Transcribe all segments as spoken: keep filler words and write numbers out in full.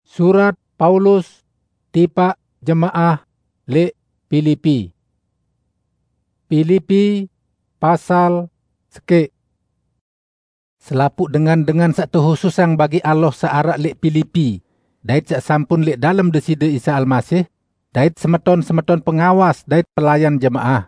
Surat Paulus tipaq jemaah leq Pilipi. Pilipi pasal sekeq. Selapuq dengan-dengan saq tehususang bagi Allah saq araq leq Pilipi, dait saq sampun leq dalem Deside Isa Almasih, dait semeton-semeton pengawas dait pelayan jemaah.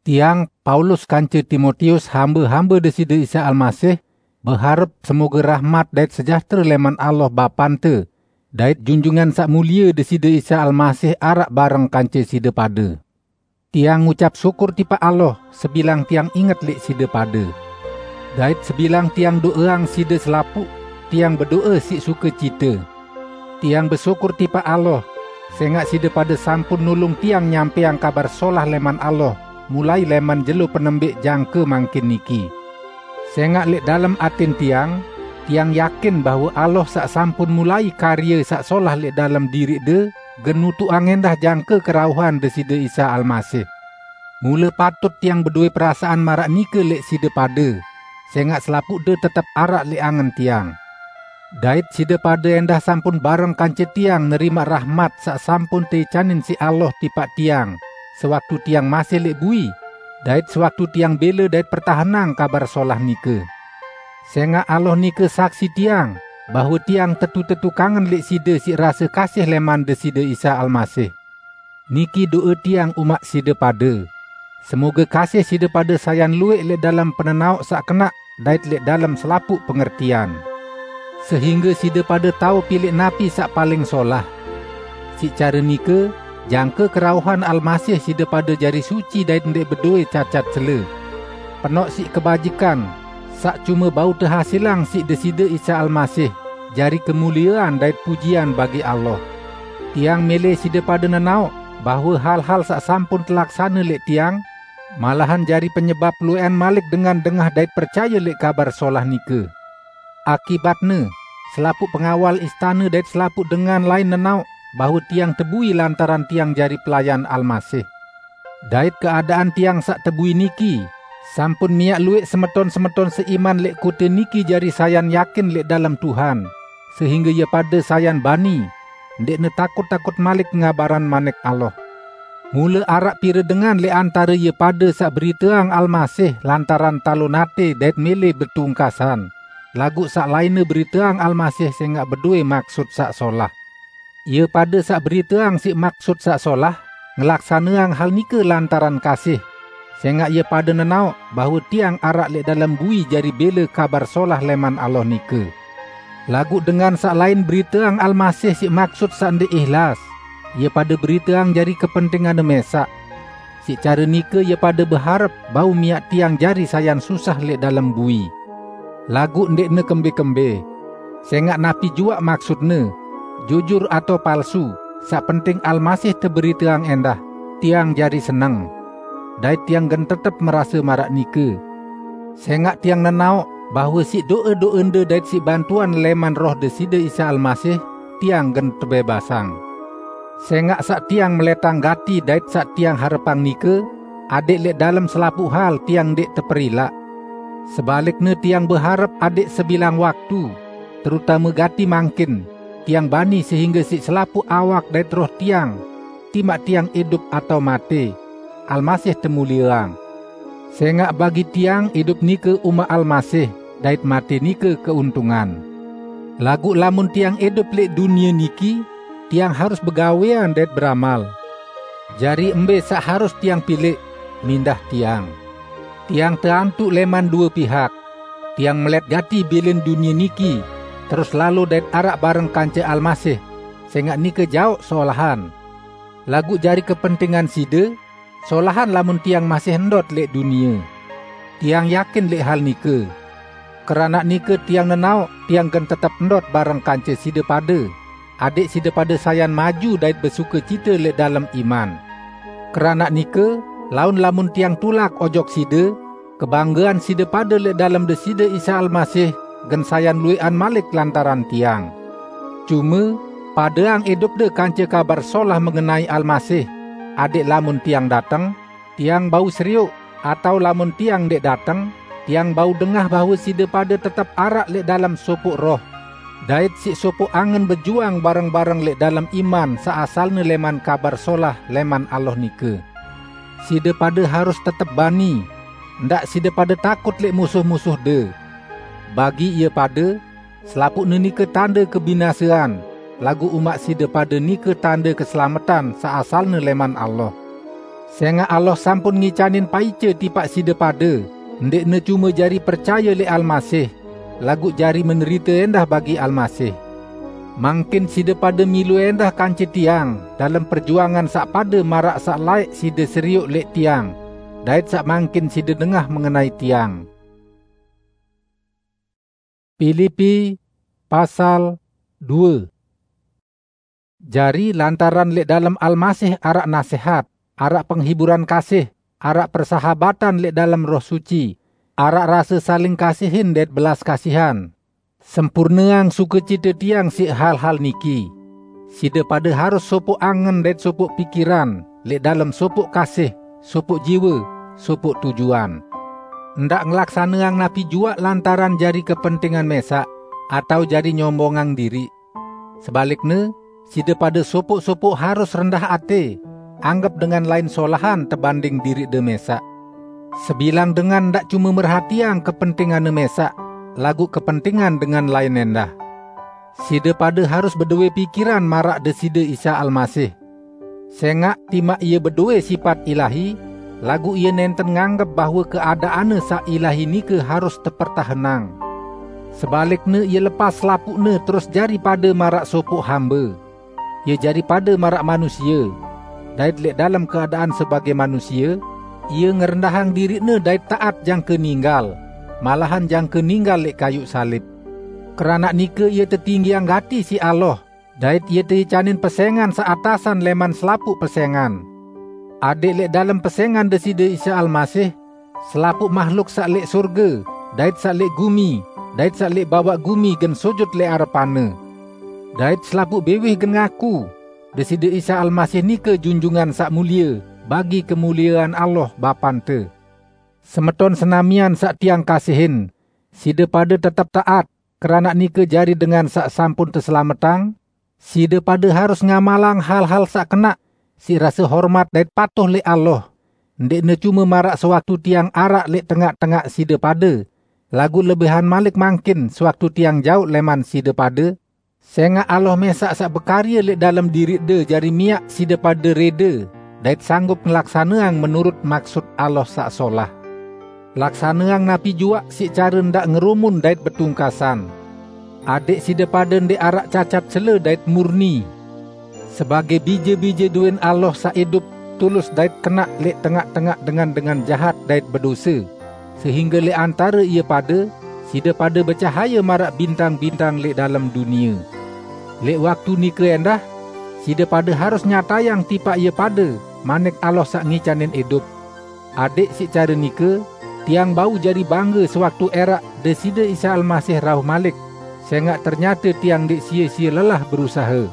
Tiang, Paulus, kance Timotius, hambe-hambe Deside Isa Almasih, beharep semoge rahmat dait sejahtere leman Allah Bapante, dait Junjungan Saq Mulie Deside Isa Almasih araq bareng kance side pade. Tiang ngucap syukur tipaq Allah sebilang tiang inget leq side pade. Dait sebilang tiang do'eang side selapuq, tiang bedo'e siq sukecite. Tiang besyukur tipaq Allah, sengaq side pade sampun nulung tiang nyampeang Kabar Solah leman Allah, mulai leman jelo penembeq jangke mangkin niki. Sengaq leq dalem atin tiang, tiang yakin bahwe Allah saq sampun mulai karye saq solah leq dalem diriqde, gen nutuqang endah jangke kerauhan Deside Isa Almasih. Mule patut tiang bedowe perasaan maraq nike leq side pade, sengaq selapuqde tetep araq leq angen tiang. Dait side pade endah sampun bareng kance tiang nerimaq rahmat saq sampun teicanin siq Allah tipaq tiang, sewaktu tiang masih leq bui, dait sewaktu tiang bele dait pertahenang Kabar Solah nike. Sengaq Allah nike saksi tiang, bahwe tiang tetu-tetu kangen leq side siq rase kasih leman Deside Isa Almasih. Niki do'e tiang umaq side pade. Semoge kasih side pade sayan lueq leq dalem penenaoq saq kenaq dait leq dalem selapuq pengertian. Sehingge side pade tao pileq napi saq paling solah. Siq care nike, jangke kerauhan Almasih side pade jari suci dait ndeq bedowe cacat cele. Penoq siq kebajikan, saq cume bau tehasilang siq Deside Isa Almasih, jari kemuliean dait pujian bagi Allah. Tiang mele side pade nenaoq bahwe hal-hal saq sampun telaksane leq tiang, malahan jari penyebap lueqan malik dengan dengah dait percaye leq Kabar Solah nike. Akibatne, selapuq pengawal istane dait selapuq dengan lain nenaoq bahwe tiang tebui lantaran tiang jari pelayan Almasih. Dait keadaan tiang saq tebui niki, sampun miaq lueq semeton-semeton seiman leq kote niki jari sayan yakin leq dalem Tuhan, sehingge ie pade sayan bani, ndeqne takut-takut malik ngabaran Manik Allah. Mule araq pire dengan leq antare ie pade saq beriteang Almasih lantaran talon ate dait mele betungkasan, laguq saq lainne beriteang Almasih sengaq bedowe maksut saq solah. Ie pade saq beriteang siq maksut saq solah, ngelaksaneang hal nike lantaran kasih, sengaq ie pade nenaoq bahwe tiang araq leq dalem bui jari bele Kabar Solah leman Allah nike. Laguq dengan saq lain beriteang Almasih siq maksut saq ndeq ihlas, ie pade beriteang jari kepentinganne mesaq. Siq care nike ie pade beharep bau miaq tiang jari sayan susah leq dalem bui. Laguq ndeqne kembe-kembe. Sengaq napi juaq maksutne, jujur atao palsu, saq penting Almasih teberiteang endah, tiang jari seneng. Dait tiang gen tetep merase maraq nike. Sengaq tiang nenaoq bahwe siq do'e-do'ende dait siq bantuan leman Roh Deside Isa Almasih, tiang gen tebebasang. Sengaq saq tiang meletang gati dait saq tiang harepang nike, adeq leq dalem selapuq hal tiang ndeq teperilaq. Sebalikne tiang beharep adeq sebilang waktu, terutame gati mangkin, tiang bani sehingge siq selapuq awak dait roh tiang, timaq tiang idup atao mate, Almasih temulieang. Sengaq bagi tiang idup nike umaq Almasih, dait mate nike keuntungan. Laguq lamun tiang idup leq dunie niki, tiang harus begawean dait beramal. Jari mbe saq harus tiang pileq, mindah tiang? Tiang teantuq leman due pihak. Tiang melet gati bilin dunie niki, terus lalo dait araq bareng kance Almasih, sengaq nike jaoq solahan. Laguq jari kepentingan side, solahan lamun tiang masih ndot leq dunie. Tiang yakin leq hal nike. Keranaq nike tiang nenaoq tiang gen tetep ndot bareng kance side pade, adeq side pade sayan maju dait besukecite leq dalem iman. Keranaq nike, laun lamun tiang tulak ojok side, kebanggean side pade leq dalem Deside Isa Almasih gen sayan lueqan malik lantaran tiang. Cume, padeang idupde kance Kabar Solah mengenai Almasih, adeq lamun tiang dateng, tiang bau serioq, atao lamun tiang ndeq dateng, tiang bau dengah bahwe side pade tetep araq leq dalem sopoq roh. dait siq sopoq angen bejuang bareng-bareng leq dalem iman saq asalne leman Kabar Solah leman Allah nike. Side pade harus tetep bani, ndaq side pade takut leq musuh-musuhde. Bagi ie pade, selapuqne nike tande kebinasean, laguq umaq side pade nike tande keselametan saq asalne leman Allah. Sengaq Allah sampun ngicanin paice tipaq side pade, ndeqne cume jari percaye leq Almasih, laguq jari menderite endah bagi Almasih. Mangkin side pade milu endah kance tiang dalem perjuangan saq pade maraq saq laeq side serioq leq tiang, dait saq mangkin side dengah mengenai tiang. Pilipi pasal due. Jari, lantaran leq dalem Almasih araq nasehat, araq penghiburan kasih, araq persahabatan leq dalem Roh Suci, araq rase saling kasihin dait belas kasihan, sempurneang sukecite tiang siq hal-hal niki: Side pade harus sopoq angen dait sopoq pikiran, leq dalem sopoq kasih, sopoq jiwe, sopoq tujuan. Ndaq ngelaksaneang napi juaq lantaran jari kepentingan mesaq, atao jari nyombongang diriq. Sebalikne, side pade sopoq-sopoq harus rendah ate, anggep dengan lain solahan tebanding diriqde mesaq. Sebilang dengan ndaq cume merhatiang kepentinganne mesaq, laguq kepentingan dengan lain endah. Side pade harus bedowe pikiran maraq Deside Isa Almasih. Sengaq timaq Ie bedowe sipat ilahi, laguq Ie nenten nganggep bahwe keadaanne saq ilahi nike harus tepertahenang. Sebalikne, Ie lepas selapuqne terus jari pade maraq sopoq hambe. Ie jari pade maraq manusie, dait leq dalem keadaan sebage manusie, Ie ngerendahang diriqne dait taat jangke ninggal, malahan jangke ninggal leq kayuq salib. Keranaq nike Ie tetinggiang gati siq Allah, dait Ie teicanin pesengan saq atasan leman selapuq pesengan. Adẽq leq dalem pesengan Deside Isa Almasih, selapuq mahluk saq leq sorge, dait saq leq gumi, dait saq leq bawaq gumi gen sujut leq arepan-Ne. Dait selapuq biwih gen ngaku, Deside Isa Almasih nike Junjungan Saq Mulie bagi kemuliean Allah Bapante. Semeton senamian saq tiang kasihin, side pade tetep taat, keranaq nike jari dengan saq sampun teselametang. Side pade harus ngamalang hal-hal saq kenaq, siq rase hormat dait patuh leq Allah, ndeqne cume maraq sewaktu tiang araq leq tengaq-tengaq side pade, laguq lebihan malik mangkin sewaktu tiang jauq leman side pade, sengaq Allah mesaq saq bekarye leq dalem diriqde jari miaq side pade rede dait sanggup ngelaksaneang menurut maksut Allah saq solah. Laksaneang napi juaq siq care ndaq ngerumun dait betungkasan, adẽq side pade ndeq araq cacat cele dait murni, sebage bije-bije duen Allah saq idup, tulus dait kenaq leq tengaq-tengaq dengan-dengan jahat dait bedose, sehingge leq antare ie pade, side pade becahaye maraq bintang-bintang leq dalem dunie. Leq waktu nike endah, side pade harus nyatayang tipaq ie pade manik Allah saq ngicanin idup. Adẽq siq care nike, tiang bau jari bangge sewaktu ẽraq Deside Isa Almasih rauh malik, sengaq ternyate tiang ndeq sie-sie lelah berusahe.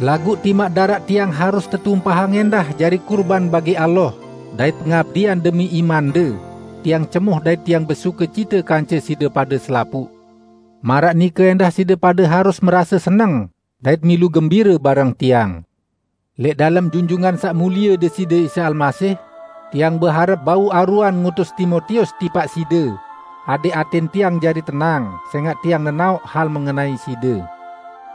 Laguq timaq daraq tiang harus tetumpahang endah jari kurban bagi Allah dait pengabdian demi imande, tiang cemoh dait tiang besukecite kance side pade selapuq. Maraq nike endah side pade harus merase seneng dait milu gembire bareng tiang. Leq dalem Junjungan Saq Mulie Deside Isa Almasih, tiang beharep bau aruan ngutus Timotius tipaq side, adẽq aten tiang jari tenang, sengaq tiang nenaoq hal mengenai side.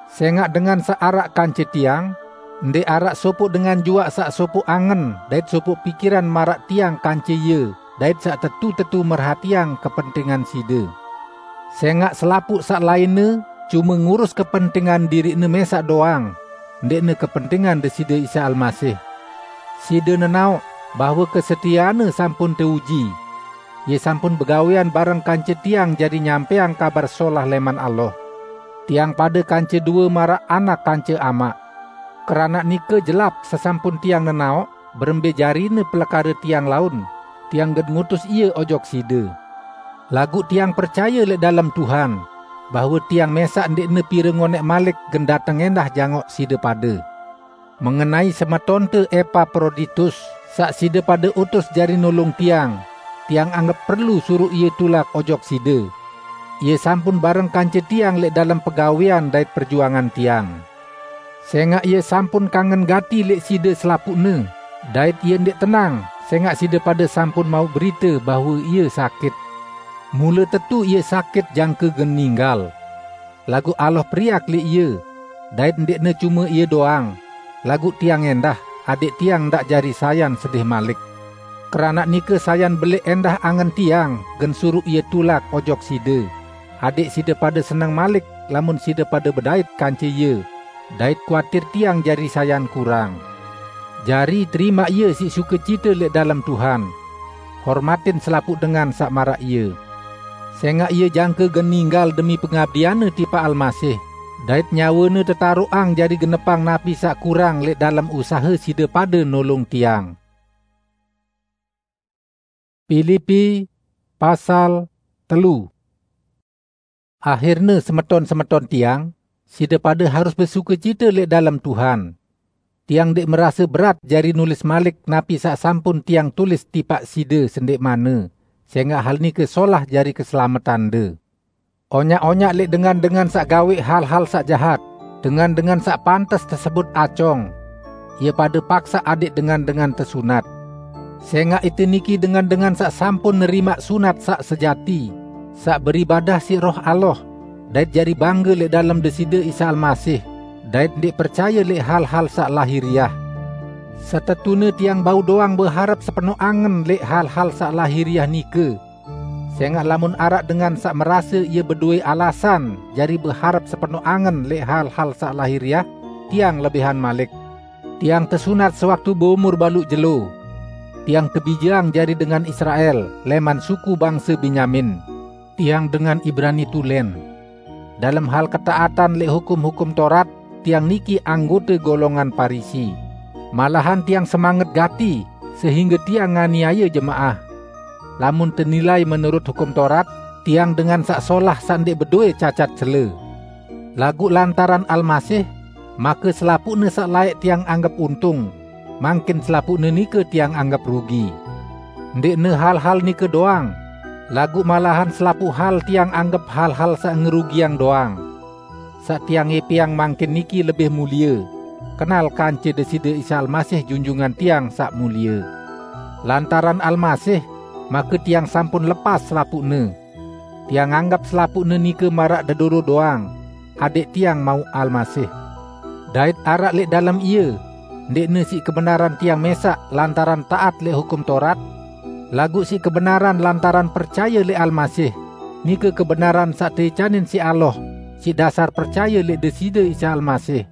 Sengaq dengan saq araq kance tiang, ndeq araq sopoq dengan juaq saq sopoq angen dait sopoq pikiran maraq tiang kance ie, dait saq tetu-tetu merhatiang kepentingan side. Sengaq selapuq saq lainne cume ngurus kepentingan diriqne mesaq doang, ndeqne kepentingan Deside Isa Almasih. Side nenaoq bahwe kesetianne sampun teuji. Ie sampun begawean bareng kance tiang jari nyampeang Kabar Solah leman Allah. Tiang pade kance due maraq anak kance amaq. Keranaq nike jelap sesampun tiang nenaoq berembe jarine pelekare tiang laun, tiang gen ngutus ie ojok side. Laguq tiang percaye leq dalem Tuhan, bahwe tiang mesaq ndeqne pire ngoneq malik gen dateng endah jangoq side pade. Mengenai semetonte Epaproditus, saq side pade utus jari nulung tiang, tiang anggep perlu suruq ie tulak ojok side. Ie sampun bareng kance tiang lẽq dalem pegawean dait perjuangan tiang. Sẽngaq ie sampun kangen gati lẽq side selapuqne, dait ie ndeq tenang, sẽngaq side pade sampun mauq berite bahwe ie sakit. Mule tetu ie sakit jangke gen ninggal. Laguq Allah periak lẽq ie, dait ndeqne cume ie doang, laguq tiang ẽndah, adẽq tiang ndaq jari sayan sedih malik. Keranaq nike sayan belẽq ẽndah angen tiang gen suruq ie tulak ojok side, adẽq side pade seneng malik lamun side pade bedait kance ie, dait kuatir tiang jari sayan kurang. Jari, terimaq ie siq sukecite lẽq dalem Tuhan. Hormatin selapuq dengan saq maraq ie. Sẽngaq ie jangke gen ninggal demi pengabdianne tipaq Almasih, dait nyawene tetaroqang jari genepang napi saq kurang lẽq dalem usahe side pade nolong tiang. Pilipi pasal telu. Ahirne, semeton-semeton tiang, side pade harus besukecite lẽq dalem Tuhan. Tiang ndeq merase berat jari nulis malik napi saq sampun tiang tulis tipaq side sendeqmanne, sẽngaq hal nike solah jari keselametande. Onyaq-onyaq lẽq dengan-dengan saq gawẽq hal-hal saq jahat, dengan-dengan saq pantes tesebut acong, ie pade paksaq adẽq dengan-dengan tesunat. Sẽngaq ite niki dengan-dengan saq sampun nerimaq sunat saq sejati, saq beribadah siq Roh Allah, dait jari bangge lẽq dalem Deside Isa Almasih, dait ndeq percaye lẽq hal-hal saq lahiriah. Setetune tiang bau doang beharep sepenoq angen lẽq hal-hal saq lahiriah nike. Sẽngaq lamun araq dengan saq merase ie bedowe alasan jari beharep sepenoq angen lẽq hal-hal saq lahiriah, tiang lebihan malik. Tiang tesunat sewaktu beumur baluq jelo. Tiang tebijeang jari dengan Israel, lẽman suku bangse Benyamin. Tiang dengan Ibrani tulen. Dalem hal ketaatan lẽq hukum-hukum Torat, tiang niki anggote golongan Parisi. Malahan tiang semanget gati, sehingge tiang nganiaye jemaah. Lamun tenilai menurut hukum Torat, tiang dengan saq solah saq ndeq bedowe cacat cele. Laguq lantaran Almasih, make selapuqne saq laeq tiang anggep untung, mangkin selapuqne nike tiang anggep rugi. Ndeqne hal-hal nike doang, laguq malahan selapuq hal tiang anggep hal-hal saq ngerugiang doang. Saq tiang ngẽpẽang mangkin niki lebih mulie, kenal kance Deside Isa Almasih Junjungan tiang saq mulie. Lantaran Almasih, make tiang sampun lepas selapuqne. Tiang anggep selapuqne nike maraq dedoro doang, adẽq tiang mauq Almasih. Dait araq lẽq dalem ie, ndeqne siq kebenaran tiang mẽsaq lantaran taat lẽq hukum Torat, laguq siq kebenaran lantaran percaye lẽq Almasih, nike kebenaran saq teicanin siq Allah, siq dasar percaye lẽq Deside Isa Almasih.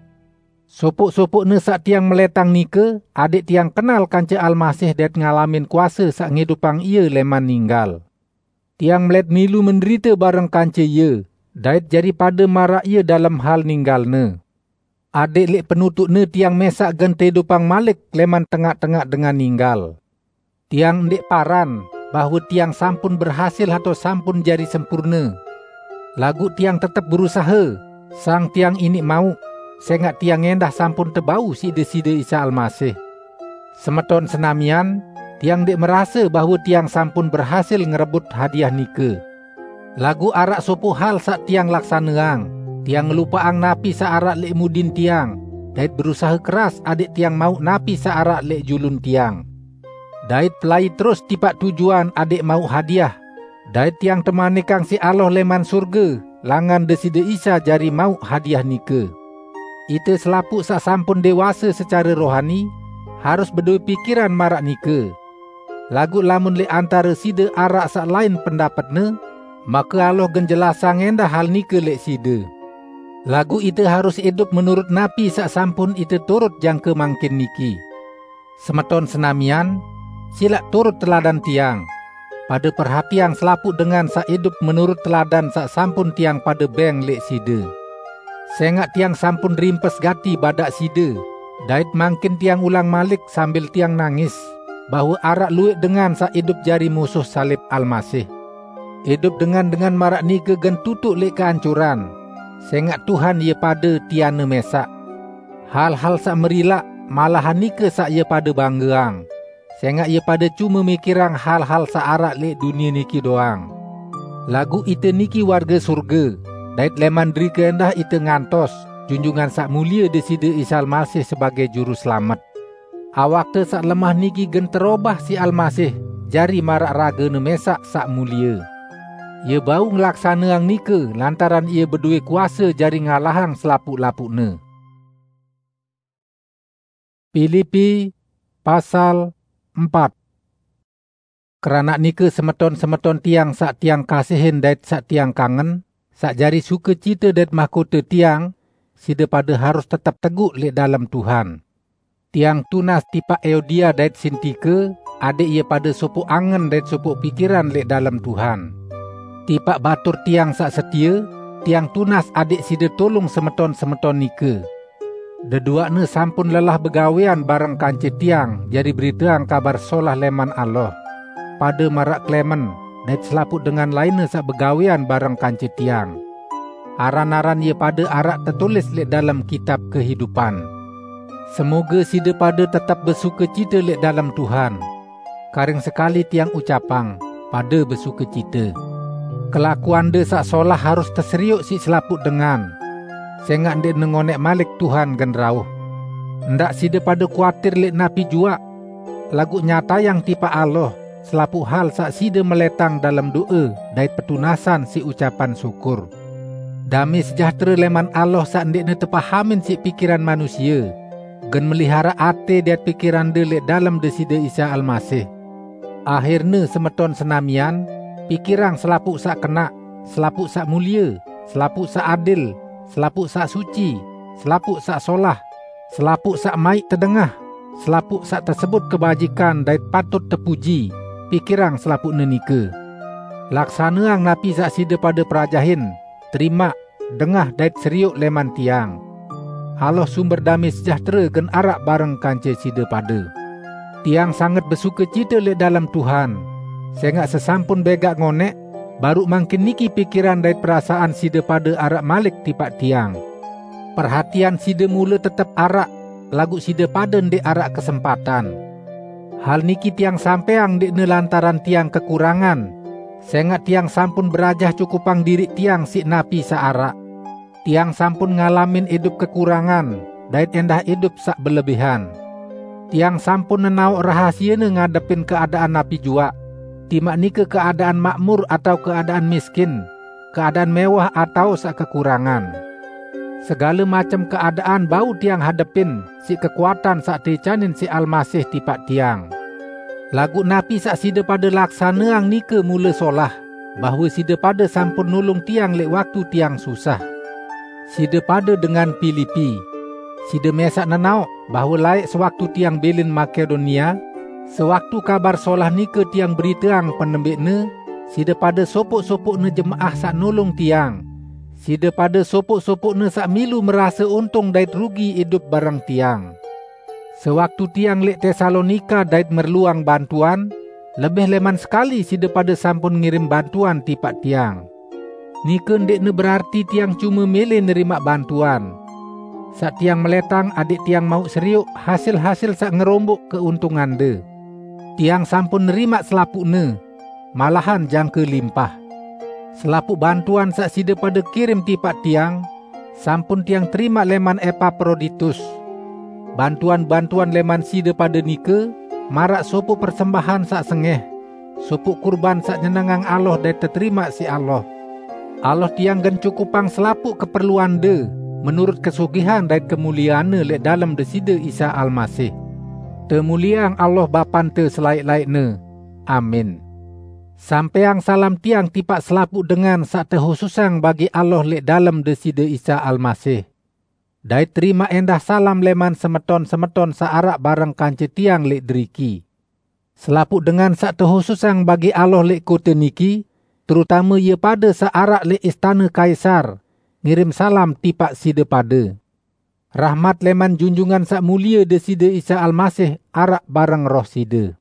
Sopoq-sopoqne saq tiang melẽtang nike, adẽq tiang kenal kance Almasih dait ngalamin kuase saq ngidupang ie lẽman ninggal. Tiang melẽt milu menderite bareng kance ie, dait jari pade maraq ie dalem hal ninggalne. Adẽq lẽq penutuqne tiang mẽsaq gen teidupang malik lẽman tengaq-tengaq dengan ninggal. Tiang ndeq paran bahwe tiang sampun berhasil atao sampun jari sempurne. Laguq tiang tetep berusahe, sang tiang iniq mauq, sẽngaq tiang ẽndah sampun tebau siq Deside Isa Almasih. Semeton senamian, tiang ndeq merase bahwe tiang sampun berhasil ngerebut hadiah nike. Laguq araq sopoq hal saq tiang laksaneang, tiang ngelupaqang napi saq araq lẽq mudin tiang, dait berusahe keras adẽq tiang mauq napi saq araq lẽq julun tiang. Dait pelai terus tipaq tujuan adẽq mauq hadiah, dait tiang temanikang siq Allah lẽman surge, langan Deside Isa jari mauq hadiah nike. Ite selapuq saq sampun dewase secare rohani, harus bedowe pikiran maraq nike. Laguq lamun lẽq antare side araq saq lain pendapetne, make Allah gen jelasang ẽndah hal nike lẽq side. Laguq ite harus idup menurut napi saq sampun ite turut jangke mangkin niki. Semeton senamian, silaq turut teladan tiang. Pade perhatiang selapuq dengan saq idup menurut teladan saq sampun tiang pade bẽng lẽq side. Sẽngaq tiang sampun rimpes gati badaq side, dait mangkin tiang ulang malik sambil tiang nangis, bahwe araq luwẽq dengan saq idup jari musuh salib Almasih. Idup dengan-dengan maraq nike gen tutuq lẽq keancuran, sẽngaq Tuhan ie pade tianne mẽsaq. Hal-hal saq merilaq, malahan nike saq ie pade banggeang, sẽngaq ie pade cume mikirang hal-hal saq araq lẽq dunie niki doang. Laguq ite niki warge surge, dait leman derike endah ite ngantos Junjungan Saq Mulie Deside Isa Almasih sebagei Juru Selamet. Awakte saq lemah niki gen terobah siq Almasih jari maraq ragene mesaq saq mulie. Ie bau ngelaksaneang nike lantaran Ie bedowe kuase jari ngalahang selapuq-lapuqne. Pilipi pasal empat. Keranaq nike, semeton-semeton tiang saq tiang kasihin dait saq tiang kangen, saq jari sukecite dait mahkote tiang, side pade harus tetep teguq leq dalem Tuhan. Tiang tunas tipaq Euodia dait Sintike, adẽq ie pade sopoq angen dait sopoq pikiran leq dalem Tuhan. Tipaq batur tiang saq setie, tiang tunas adẽq side tulung semeton-semeton nike. Deduaqne sampun lelah begawean bareng kance tiang jari beriteang Kabar Solah leman Allah, pade maraq Klemen dait selapuq dengan lainne saq begawean bareng kance tiang. Aran-aran ie pade araq tetulis leq dalem Kitab Kehidupan. Semoge side pade tetep besukecite leq dalem Tuhan. Karing sekali tiang ucapang, pade besukecite. Kelakuande saq solah harus teserioq siq selapuq dengan, sengaq ndeqne ngoneq malik Tuhan gen rauh. Ndaq side pade kuatir leq napi juaq, laguq nyatayang tipaq Allah selapuq hal saq side meletang dalem do'e dait petunasan siq ucapan syukur. Damai sejahtere leman Allah saq ndeqne tepahamin siq pikiran manusie, gen meliharaq ate dait pikirande leq dalem Deside Isa Almasih. Ahirne, semeton senamian, pikirang selapuq saq kenaq, selapuq saq mulie, selapuq saq adil, selapuq saq suci, selapuq saq solah, selapuq saq maiq tedengah, selapuq saq tesebut kebajikan dait patut tepuji, pikirang selapuqne nike. Laksaneang napi saq side pade perajahin, terimaq, dengah dait serioq leman tiang. Allah, sumber damai sejahtere, gen araq bareng kance side pade. Tiang sanget besukecite leq dalem Tuhan, sengaq sesampun begaq ngoneq, baruq mangkin niki pikiran dait perasaan side pade araq malik tipaq tiang. Perhatian side mule tetep araq, laguq side pade ndeq araq kesempatan. Hal niki tiang sampeang ndeqne lantaran tiang kekurangan, sengaq tiang sampun berajah cukupang diriq tiang siq napi saq araq. Tiang sampun ngalamin idup kekurangan dait endah idup saq belebihan. Tiang sampun nenaoq rahasiene ngadepin keadaan napi juaq, timaq nike keadaan makmur atao keadaan miskin, keadaan mewah atao saq kekurangan. Segale macem keadaan bau tiang hadepin siq kekuatan saq teicanin siq Almasih tipaq tiang. Laguq napi saq side pade laksaneang nike mule solah, bahwe side pade sampun nulung tiang leq waktu tiang susah. Side pade dengan Pilipi, side mesaq nenaoq bahwe laeq sewaktu tiang bilin Makedonia, sewaktu Kabar Solah nike tiang beriteang penembeqne, side pade sopoq-sopoqne jemaah saq nulung tiang. Side pade sopoq-sopoqne saq milu merase untung dait rugi idup bareng tiang. Sewaktu tiang leq Tesalonika dait merluang bantuan, lebih leman sekali side pade sampun ngirim bantuan tipaq tiang. Nike ndeqne berarti tiang cume mele nerimaq bantuan. Saq tiang meletang adẽq tiang mauq serioq hasil-hasil saq ngeromboq keuntungande. Tiang sampun nerimaq selapuqne, malahan jangke limpah. Selapuq bantuan saq side pade kirim tipaq tiang, sampun tiang terimaq leman Epaproditus. Bantuan-bantuan leman side pade nike maraq sopoq persembahan saq sengeh, sopoq kurban saq nyenengang Allah dait teterimaq siq Allah. Allah tiang gen cukupang selapuq keperluande menurut kesugihan dait kemulieanne leq dalem Deside Isa Almasih. Temulieang Allah Bapante selaeq-laeqne. Amin. Sampeang salam tiang tipaq selapuq dengan saq tehususang bagi Allah leq dalem Deside Isa Almasih. Dait terimaq endah salam leman semeton-semeton saq araq bareng kance tiang leq deriki. Selapuq dengan saq tehususang bagi Allah leq kote niki, terutame ie pade saq araq leq istane Kaisar, ngirim salam tipaq side pade. Rahmat leman Junjungan Saq Mulie Deside Isa Almasih araq bareng roh side.